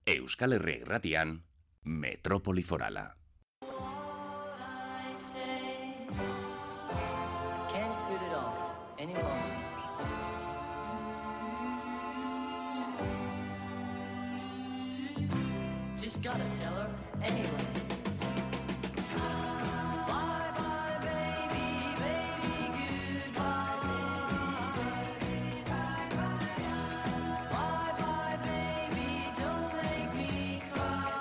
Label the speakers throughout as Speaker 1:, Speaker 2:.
Speaker 1: Euskal Herria Irratian, Metropoli Forala.
Speaker 2: Just gotta tell her anyway. Bye bye baby, baby, goodbye. Bye bye baby, don't make me cry.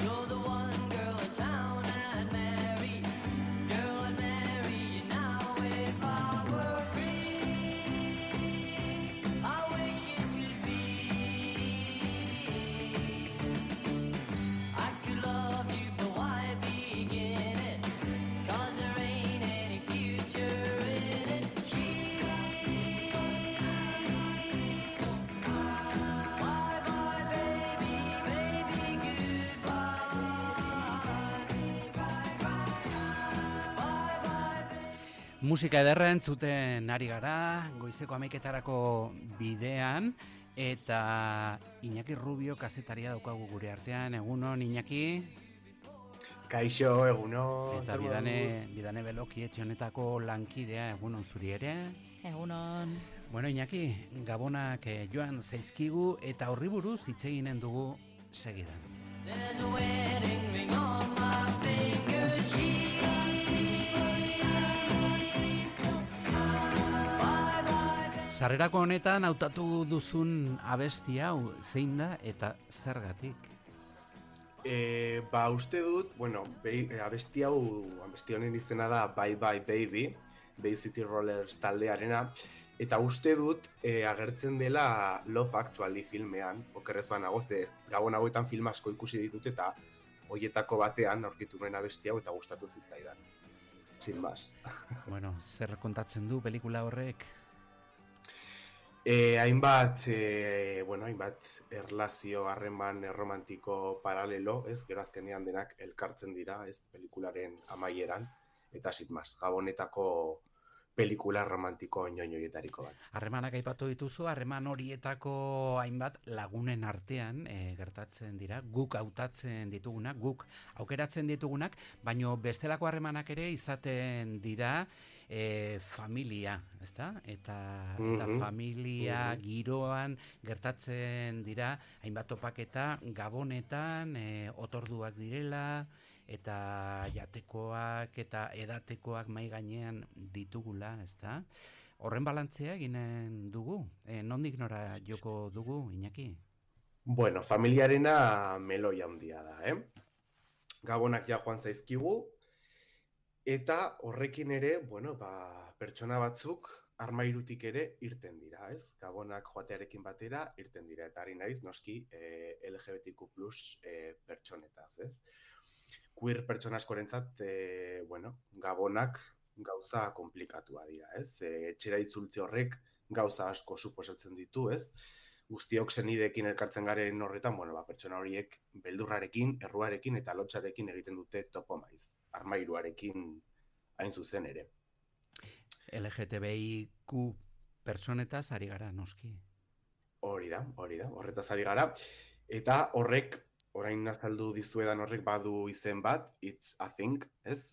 Speaker 2: You're the one girl in town I'd marry. Girl, I'd marry you now if I were free. I wish it could be. I could love you, but why begin it? 'Cause there ain't any future in it. Bye bye baby, baby, goodbye. Bye bye.
Speaker 3: Musika ederra entzuten ari gara, goizeko 11etarako bidean, eta Iñaki Rubio kazetaria daukagu gure artean. Egunon, Iñaki?
Speaker 4: Kaixo, egunon.
Speaker 3: Eta bidane Beloki etxe honetako lankidea, egunon zuri ere.
Speaker 5: Egunon.
Speaker 3: Bueno, Iñaki, gabonak joan zaizkigu eta horri buruz hitz eginen dugu segidan.
Speaker 2: There's a wedding ring on my finger. Bye bye.
Speaker 3: Sarrerako honetan hautatu duzun abesti hau zein da eta zergatik?
Speaker 4: Uste dut, bueno, abesti honen izena da Bye Bye Baby, Bay City Rollers taldearena, eta uste dut agertzen dela Love Actually filmean, okerrez banago, gabon hauetan film asko ikusi ditut eta hoietako batean aurkitu nuen abesti hau eta gustatu zitzaidan. Sin más.
Speaker 3: Bueno, zer kontatzen du pelikula horrek?
Speaker 4: Hainbat erlazio harreman romantiko paralelo, ez, gero azkenean denak elkartzen dira, ez, pelikularen amaieran, eta sitmaz, gabonetako pelikula romantiko inoioietariko bat.
Speaker 3: Harremanak aipatu dituzu, harreman horietako hainbat lagunen artean gertatzen dira, guk hautatzen ditugunak, guk aukeratzen ditugunak, baino bestelako harremanak ere izaten dira familia, ezta? Eta familia giroan gertatzen dira hainbat topaketa gabonetan, otorduak direla, eta jatekoak eta edatekoak mai gainean ditugula, ezta? Horren balantzea eginen dugu. Nondik nora joko dugu, Iñaki?
Speaker 4: Bueno, familiarena meloi handia da, Gabonak ja joan zaizkigu, eta horrekin ere, pertsona batzuk armairutik ere irten dira, ez? Gabonak joatearekin batera irten dira, eta ari naiz noski LGBTQ+ pertsonetaz, ez? Queer pertsona askorentzat, gabonak gauza komplikatua dira, ez? Etxera itzultze horrek gauza asko suposatzen ditu, ez? Guztiok senideekin elkartzen garen horretan, pertsona horiek beldurrarekin, erruarekin eta lotxarekin egiten dute topo maiz, armairuarekin hain zuzen ere.
Speaker 3: LGTBIQ pertsonetaz ari gara, noski.
Speaker 4: Hori da, horretaz ari gara. Eta horrek, orain azaldu dizuedan horrek badu izen bat, It's a Thing, ez?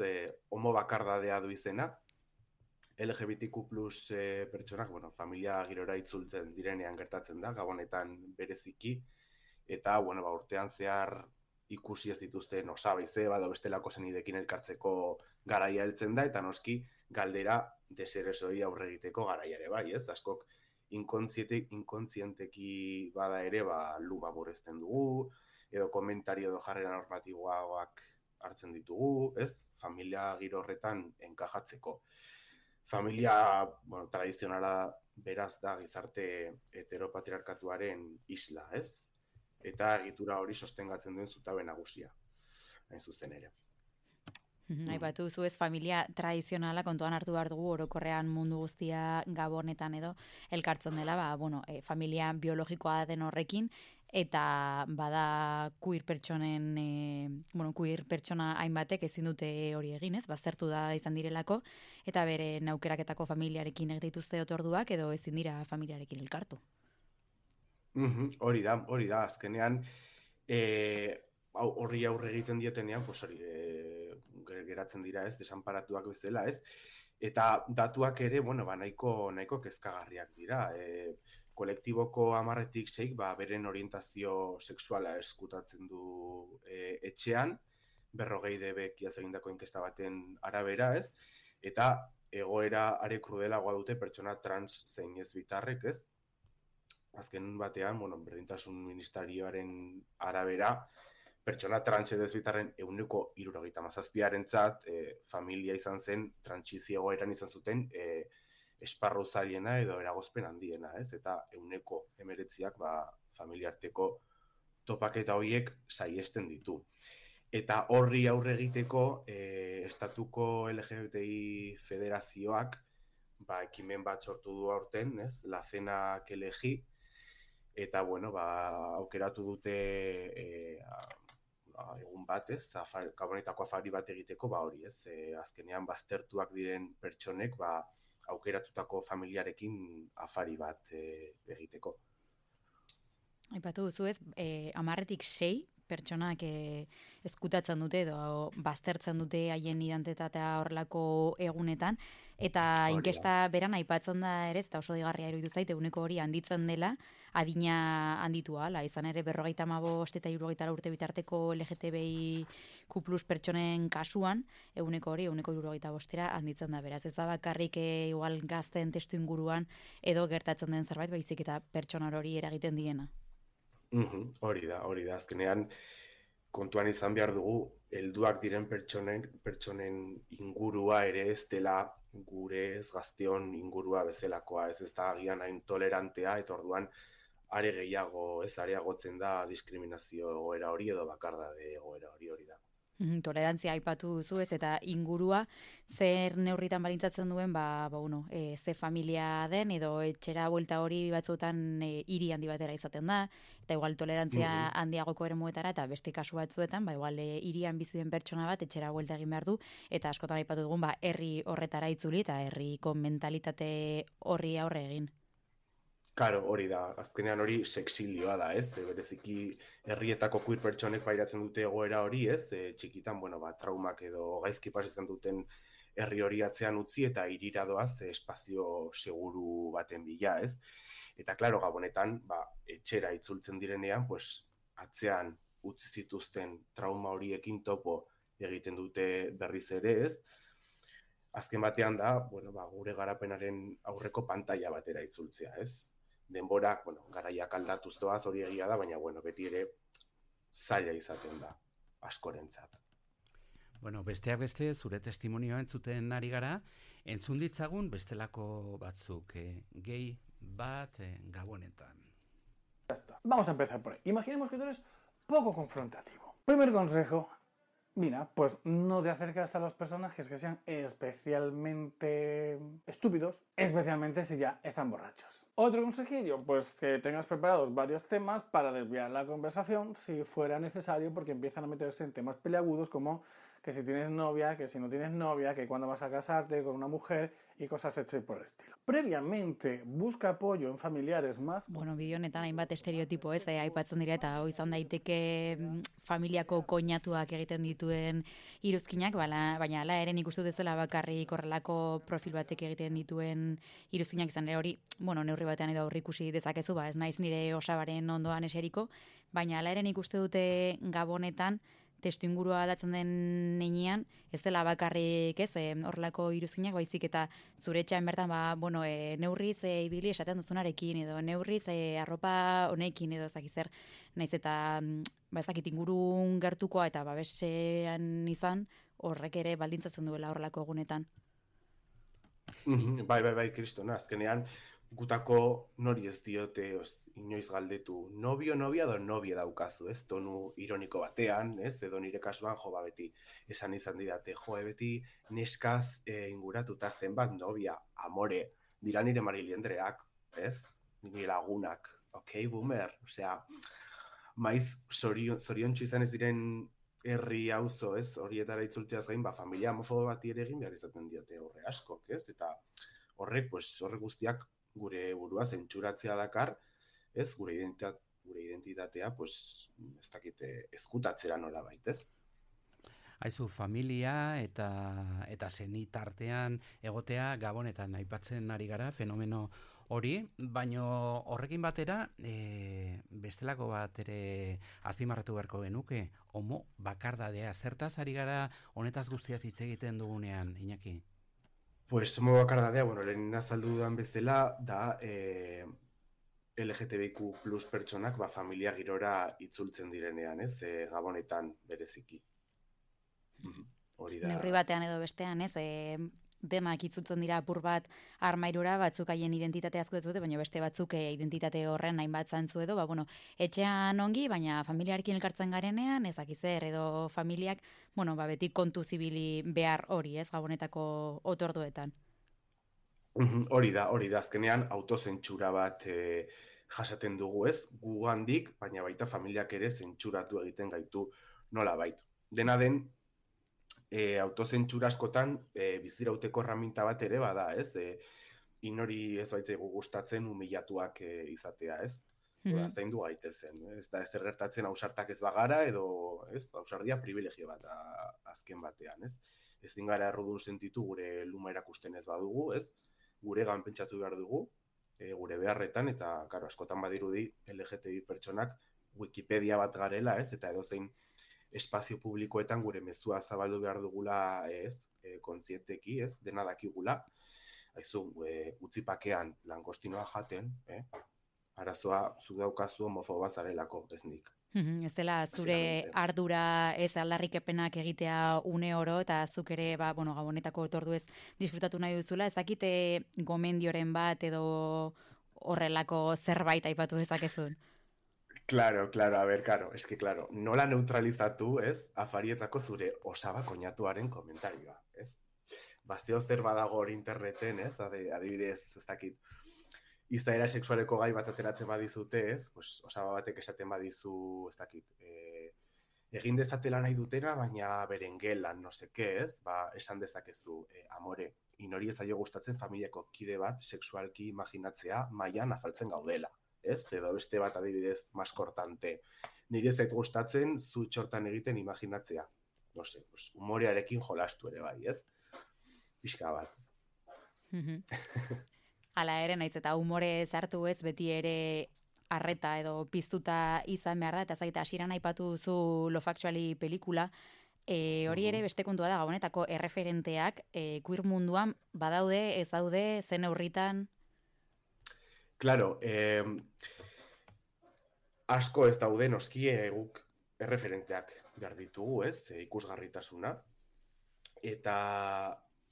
Speaker 4: Homo bakardadea du izena. LGBTQ+ pertsonak, familia girora itzultzen direnean gertatzen da, gabonetan bereziki. Eta, urtean zehar ikusi ez dituzten osabaize, bado bestelako senidekin elkartzeko garaia heltzen da, eta noski galdera deserezoi aurre egiteko garaia ere bai, ez? Askok inkontzienteki bada ere, luma burezten dugu, edo komentario edo jarrera normatiboak hartzen ditugu, ez? Familia giro horretan enkajatzeko. Familia, tradizionala beraz da gizarte heteropatriarkatuaren isla, ez? Eta egitura hori sostengatzen duen zutabe nagusia, hain zuzen ere.
Speaker 5: Aipatu zu ez familia tradizionala kontuan hartu behar dugu orokorrean mundu guztia gabonetan edo elkartzen dela, familia biologikoa den horrekin, eta bada queer pertsona hainbatek ezin dute hori egin, ez? Baztertu da izan direlako, eta bere aukeraketako familiarekin egituzte otorduak edo ezin dira familiarekin elkartu.
Speaker 4: Hori da, azkenean, horri aurre egiten dietenean, pues hori, geratzen dira, ez, desanparatuak bezala, ez, eta datuak ere, bueno, nahiko kezkagarriak dira, kolektiboko 10-tik 6, beren orientazio sexuala eskutatzen du etxean, 40 dbek iaz egindako inkesta baten arabera, ez, eta egoera are krudelagoa dute pertsona trans zein ez bitarrek, ez, azken batean, bueno, berdintasun ministerioaren arabera, pertsona trans edo ez bitarren 77%-arentzat familia izan zen, trantsizio egoeran izan zuten esparru zailena edo eragozpen handiena, ez? Eta 19%ak familiarteko topaketa horiek saihesten ditu. Eta horri aurre egiteko estatuko LGBTI federazioak ekimen bat sortu du aurten, ez? La Cena que elegí, eta bueno, aukeratu dute egun bat, ez? Gabonetako afari bat egiteko, hori, ez? Azkenean baztertuak diren pertsonek aukeratutako familiarekin afari bat egiteko.
Speaker 5: Aipatu duzu ez, 10-tik 6 pertsonak ezkutatzen dute edo baztertzen dute haien identitatea horrelako egunetan, eta inkesta beran aipatzen da ere, eta oso digarria iruditu zait, eguneko hori handitzen dela, adina handitu ala, izan ere 55 eta 64 urte bitarteko LGTBIQ+ pertsonen kasuan, eguneko hori, eguneko 65era handitzen da, beraz, ez da bakarrik igual gazten testu inguruan edo gertatzen den zerbait, baizik eta pertsona hori eragiten diena.
Speaker 4: Hori da, azkenean kontuan izan behar dugu, helduak diren pertsonen ingurua ere ez dela gure ez gazteon ingurua bezalakoa, ez da agian hain tolerantea, eta orduan are gehiago ez areagotzen da diskriminazio egoera hori edo bakardade egoera hori da.
Speaker 5: Tolerantzia aipatu duzu ez, eta ingurua zer neurritan balintzatzen duen, ze familia den, edo etxera buelta hori batzuetan hiri handi batera izaten da, eta igual tolerantzia handiagoko eremuetara, eta beste kasu batzuetan, igual hirian bizi den pertsona bat etxera buelta egin behar du, eta askotan aipatu dugun, herri horretara itzuli, eta herriko mentalitate horri aurre egin.
Speaker 4: Karo, hori da, azkenean hori sexilioa da, ez? Bereziki herrietako queer pertsonek pairatzen dute egoera hori, ez? Txikitan, traumak edo gaizki pasatzen duten herri hori atzean utzi eta hirira doaz espazio seguru baten bila, ez? Eta, klaro, gabonetan, etxera itzultzen direnean, atzean utzi zituzten trauma horiekin topo egiten dute berriz ere, ez? Azken batean da, gure garapenaren aurreko pantaila batera itzultzea, ez? Denborak, garaiak aldatuz doaz hori egia da, baina, beti ere zaila izaten da, askorentzat.
Speaker 3: Besteak beste, zure testimonioa entzuten ari gara, entzun ditzagun bestelako batzuk, gehi bat gabonetan.
Speaker 6: Vamos a empezar por ahí. Imaginemos que tú eres poco confrontativo. Primer consejo, mira, pues no te acercas a los personajes que sean especialmente estúpidos, especialmente si ya están borrachos. Otro consejillo, pues que tengas preparados varios temas para desviar la conversación si fuera necesario, porque empiezan a meterse en temas peliagudos como que si tienes novia, que si no tienes novia, que cuándo vas a casarte con una mujer y cosas así por el estilo. Previamente, busca apoyo en familiares más.
Speaker 5: Bideo honetan hainbat estereotipo ez, aipatzen dira, eta hau izan daiteke familiako koinatuak egiten dituen iruzkinak, baina hala ere nik uste dut ezela bakarrik horrelako profil batek egiten dituen iruzkinak izan ere hori, neurri batean edo aurrikusi dezakezu, ez naiz nire osabaren ondoan eseriko, baina hala ere nik uste dute gabonetan testu ingurua aldatzen den neinean, ez dela bakarrik ez, horrelako iruzkinak, baizik eta zure etxean bertan, neurriz ibili esaten duzunarekin, edo neurriz arropa honekin, edo ezakizer, naiz eta ezakit ingurun gertukoa eta babesean izan, horrek ere baldintzatzen duela horrelako egunetan.
Speaker 4: Bai, kristona, azkenean, gutako nori ez diote inoiz galdetu, novia edo novia daukazu, ez, tonu ironiko batean, ez, edo nire kasuan, beti esan izan didate, beti neskaz inguratuta zenbat novia, amore, dira nire Mariliendreak, ez, nire lagunak, boomer, maiz zoriontsu izan ez diren herri auzo, ez, horietara itzulteaz gain, familia homofobo bati ere egin behar izaten diote horre askok, ez, eta horrek guztiak gure burua zentsuratzea dakar, ez, gure identitatea, pues, ez dakit, ezkutatzera nolabait, ez?
Speaker 3: Haizu, familia eta senitartean egotea Gabonetan aipatzen ari gara, fenomeno hori, baino horrekin batera, bestelako bat ere azpimarratu beharko genuke, homo bakardadea, zertaz ari gara honetaz guztiaz hitz egiten dugunean, Iñaki?
Speaker 4: Pues homo bakardadea, bueno, lehen azaldu dudan bezala, da LGTBIQ plus pertsonak familia girora itzultzen direnean, ez, Gabonetan bereziki. Hori da.
Speaker 5: Neurri batean edo bestean, ez, denak itzultzen dira apur bat armairura, batzuk haien identitate asko ez dute, baina beste batzuk identitate horren hainbat zantzu edo, bueno, etxean ongi, baina familiarekin elkartzen garenean, ezakizer edo familiak, beti kontu zibili behar hori, ez, Gabonetako otorduetan.
Speaker 4: Hori da, azkenean autozentsura bat jasaten dugu, ez, gugandik, baina baita familiak ere zentsuratu egiten gaitu nolabait. Dena den, autozentsura askotan bizirauteko erraminta bat ere bada, ez? Inori ez baitzaigu gustatzen humillatuak izatea, ez? Zaindu gaitezen, ez da ezer gertatzen ausartak ez bagara edo, ez? Ausardia privilegio bat azken batean, ez? Ezin gara errudun sentitu gure luma erakusten ez badugu, ez? Guregan pentsatu behar dugu, gure beharretan, eta karo, askotan badirudi LGTBI pertsonak Wikipedia bat garela, ez? Eta edozein espazio publikoetan gure mezua zabaldu behar dugula, ez, kontzienteki, ez, dena dakigula, haizu, utzipakean langostinoa jaten, arazoa zu daukazu homofoba zarelako, ez nik.
Speaker 5: Ez dela zure ardura ez aldarrikepenak egitea une oro, eta zuk ere, Gabonetako otorduez disfrutatu nahi duzula, ezakite gomendioren bat edo horrelako zerbait aipatu dezakezun.
Speaker 4: Claro, es que claro, nola neutralizatu, ez, afarietako zure osaba koñatuaren komentarioa, ez? Zeo zer badago hor interneten, ez, adibidez, ez dakit, izaera sexualeko gai bat ateratzen badizute, ez, pues, osaba batek esaten badizu, ez dakit, egin dezatela nahi dutena, baina beren gelan, no seke, ez, esan dezakezu, amore, inori ez zaio gustatzen familiako kide bat sexualki imaginatzea mailan afaltzen gaudela. Ez, edo beste bat adibidez maskortante. Nire ez zait gustatzen zu txortan egiten imaginatzea. No se, pues, humorearekin jolastu ere bai, ez? Pixka bat.
Speaker 5: Hala ere, naiz eta humore zartu ez, beti ere arreta edo piztuta izan behar da, eta zaita hasieran aipatu duzu Love Actually pelikula, hori ere beste kontua da, Gabonetako erreferenteak queer munduan badaude, ez daude, zen neurritan.
Speaker 4: Claro, asko ez daude noski guk erreferenteak behar ditugu, ez, ikusgarritasuna, eta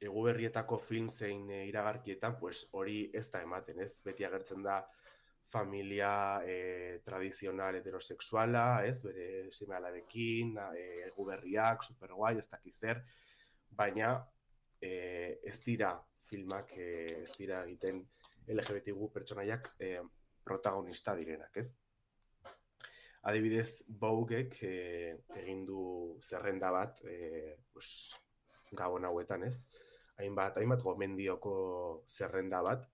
Speaker 4: egu berrietako film zein iragarkietan, pues hori ez da ematen, ez, beti agertzen da familia tradizional heterosexuala, ez, bere seme-alabekin, egu berriak, superguai, ez dakizer, baina ez dira filmak, ez dira egiten LGBTQ pertsonaiak protagonista direnak, ez? Adibidez, Voguek egin du zerrenda bat, Gabon hauetan, ez? Hainbat gomendioko zerrenda bat,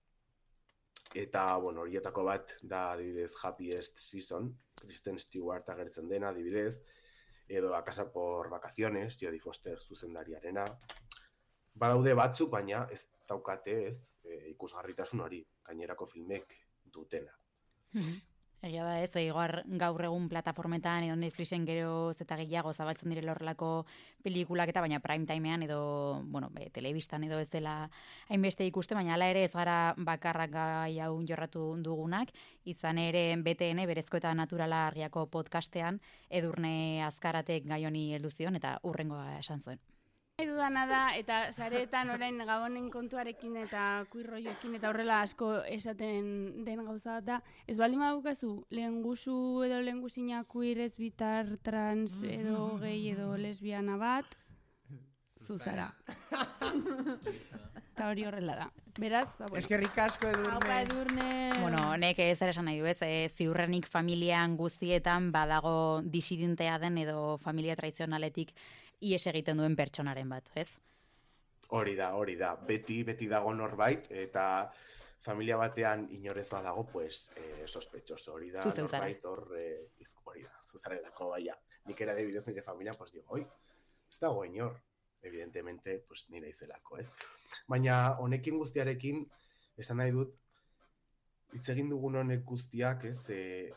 Speaker 4: eta, horietako bat da, adibidez, Happiest Season, Kristen Stewart agertzen dena, adibidez, edo A Casa por Vacaciones, Jodie Foster zuzendariarena. Badaude batzuk, baina ez daukate, ez, ikusgarritasun hori, gainerako filmek dutena.
Speaker 5: Egia da ez, gaur egun plataformetan edo Netflixen gero eta gehiago zabaltzen direla horrelako pelikulak eta baina prime timean edo, telebistan edo ez dela hainbeste ikuste, baina hala ere ez gara bakarrak gai hau jorratu dugunak, izan ere BTN berezko eta naturala argiako podcastean Edurne Azkaratek gai honi heldu zion eta hurrengoa esan zuen.
Speaker 7: Dudana da, eta sareetan orain Gabonen kontuarekin eta kuirroioekin eta horrela asko esaten den gauza bat da, ez baldin badukazu lehengusu edo lehengusina queer, bitar, trans edo gay edo lesbiana bat, zuzara. Eta hori horrela da. Beraz,
Speaker 8: eskerrik asko Edurne.
Speaker 5: Nek ez esan nahi du ez, ziurrenik familian guztietan badago disidentea den edo familia tradizionaletik ies egiten duen pertsonaren bat, ez?
Speaker 4: Hori da. Beti dago norbait, eta familia batean inorez badago, pues, sospechoso, hori da,
Speaker 5: Zu zara.
Speaker 4: norbait hor, hori da, zuzarelako, baina, nik era adibidez nire familia, pues, digo, oi, ez dago inor, evidentemente, pues, nire izelako, ez? Baina, honekin guztiarekin, esan nahi dut, hitz egin dugun honek guztiak, ez,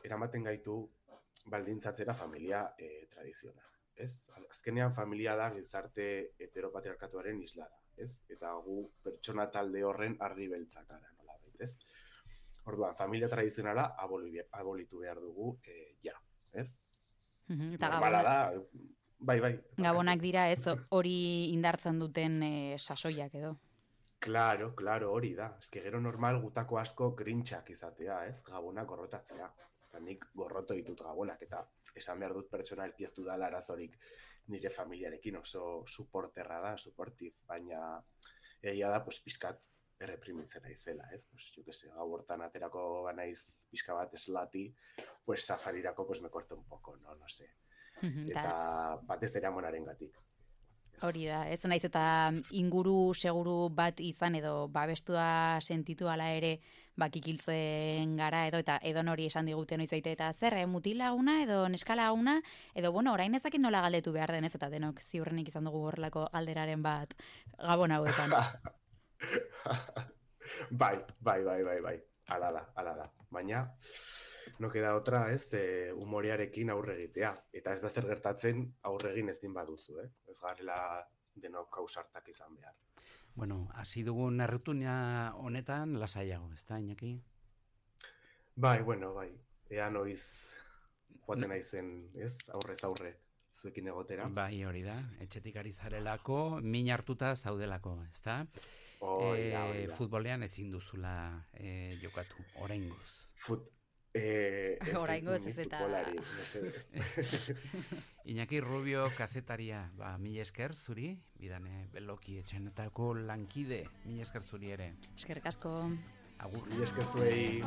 Speaker 4: eramaten gaitu baldintzatzera familia tradizionala, ez? Azkenean familia da gizarte heteropatriarkatuaren isla da, ez? Eta gu pertsona talde horren ardi beltzak gara, nolabait, ez? Orduan, familia tradizionala abolitu behar dugu, ja, ez?
Speaker 5: Eta
Speaker 4: Normala da, bai.
Speaker 5: Gabonak dira ez hori indartzen duten sasoiak edo.
Speaker 4: Claro, hori da. Ez que gero normal gutako asko grintxak izatea, ez? Gabonak gorrotatzea. Eta nik gorroto ditut gabonak, eta esan behar dut pertsonalki ez dudala arazorik nire familiarekin oso suporterra da, suportif, baina egia da, pues, pixkat erreprimitzen naizela, ez? Pues, jo que se, gau hortan aterako banaiz pixka bat eslati, pues, safarirako, pues, me corto un poco, no sé. Eta batez ere amonaren gatik.
Speaker 5: Hori da, ez naiz eta inguru seguru bat izan edo babestua sentitu ala ere bakikiltzen gara edo hori esan digute noizbait eta zer, mutilaguna edo neskalaguna edo bueno, orain ezakit nola galdetu behar denez eta denok ziurrenik izan dugu horrelako galderaren bat gabon hauetan.
Speaker 4: Bai. Ala da. Baina, no queda otra, ez, humorearekin aurre egitea. Eta ez da zer gertatzen aurre egin ezin baduzu, Ez garela denok ausartak izan behar.
Speaker 3: Bueno, hasi dugun errutina honetan lasaiago, ez da, Iñaki?
Speaker 4: Bai. Ea noiz joaten naizen, ez, aurrez aurre zuekin egotera.
Speaker 3: Bai, hori da. Etxetik ari zarelako, min hartuta zaudelako, ez da?
Speaker 4: Hori da.
Speaker 3: Futbolean ezin duzula jokatu, oraingoz.
Speaker 5: Oraingoz ez eta...
Speaker 3: Iñaki Rubio kazetaria, mila esker zuri, bidane beloki etxenetako lankide, mila esker zuri ere.
Speaker 5: Eskerrik asko.
Speaker 3: Agur.
Speaker 4: Mila esker zuei.